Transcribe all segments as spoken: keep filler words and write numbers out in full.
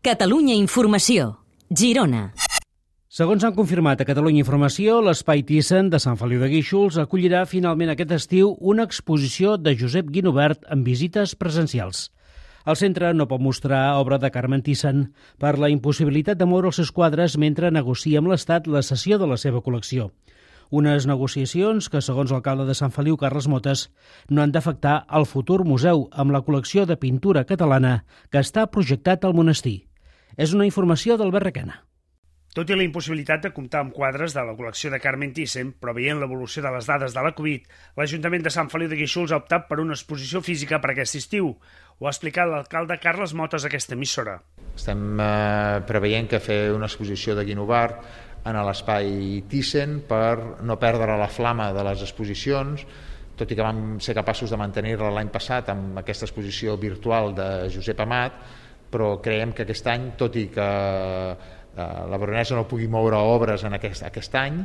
Catalunya Informació, Girona. Segons han confirmat a Catalunya Informació, l'Espai Thyssen de Sant Feliu de Guíxols acollirà finalment aquest estiu una exposició de Josep Guinovart amb visites presencials. El centre no pot mostrar obra de Carmen Thyssen per la impossibilitat de moure els seus quadres mentre negocia amb l'Estat la cessió de la seva col·lecció. Unes negociacions que, segons l'alcalde de Sant Feliu, Carles Motes, no han d'afectar el futur museu amb la col·lecció de pintura catalana que està projectat al monestir. És una informació d'Albert Requena. Tot i la impossibilitat de comptar amb quadres de la col·lecció de Carmen Thyssen, però veient l'evolució de les dades de la Covid, l'Ajuntament de Sant Feliu de Guíxols ha optat per una exposició física per aquest estiu. Ho ha explicat l'alcalde Carles Motes a aquesta emissora. Estem eh, preveient que fer una exposició de Guinovart en l'espai Thyssen per no perdre la flama de les exposicions, tot i que vam ser capaços de mantenir-la l'any passat amb aquesta exposició virtual de Josep Amat, però creiem que aquest any, tot i que la Baronessa no pugui moure obres en aquest, aquest any,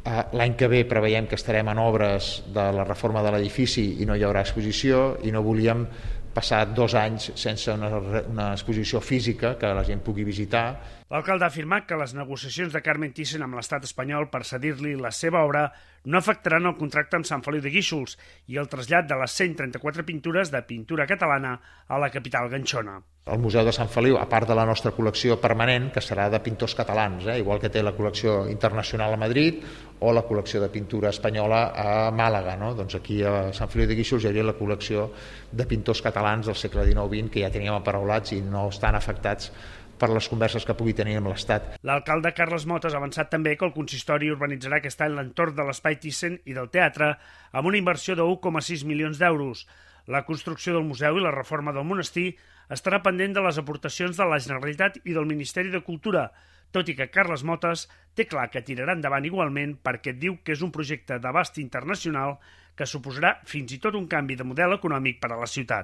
l'any que ve preveiem que estarem en obres de la reforma de l'edifici i no hi haurà exposició, i no volíem passar dos anys sense una, una exposició física que la gent pugui visitar. L'alcalde ha afirmat que les negociacions de Carmen Thyssen amb l'estat espanyol per cedir-li la seva obra no afectaran el contracte amb Sant Feliu de Guíxols i el trasllat de les cent trenta-quatre pintures de pintura catalana a la capital ganxona. El Museu de Sant Feliu, a part de la nostra col·lecció permanent, que serà de pintors catalans, eh, igual que té la col·lecció internacional a Madrid o la col·lecció de pintura espanyola a Màlaga, no? Doncs aquí a Sant Feliu de Guíxols hi hauria la col·lecció de pintors catalans del segle dinou vint que ja teníem aparaulats i no estan afectats per les converses que pugui tenir amb l'Estat. L'alcalde Carles Motes ha avançat també que el consistori urbanitzarà aquest any l'entorn de l'Espai Thyssen i del teatre amb una inversió de u coma sis milions d'euros. La construcció del museu i la reforma del monestir estarà pendent de les aportacions de la Generalitat i del Ministeri de Cultura, tot i que Carles Motes té clar que tirarà endavant igualment perquè diu que és un projecte d'abast internacional que suposarà fins i tot un canvi de model econòmic per a la ciutat.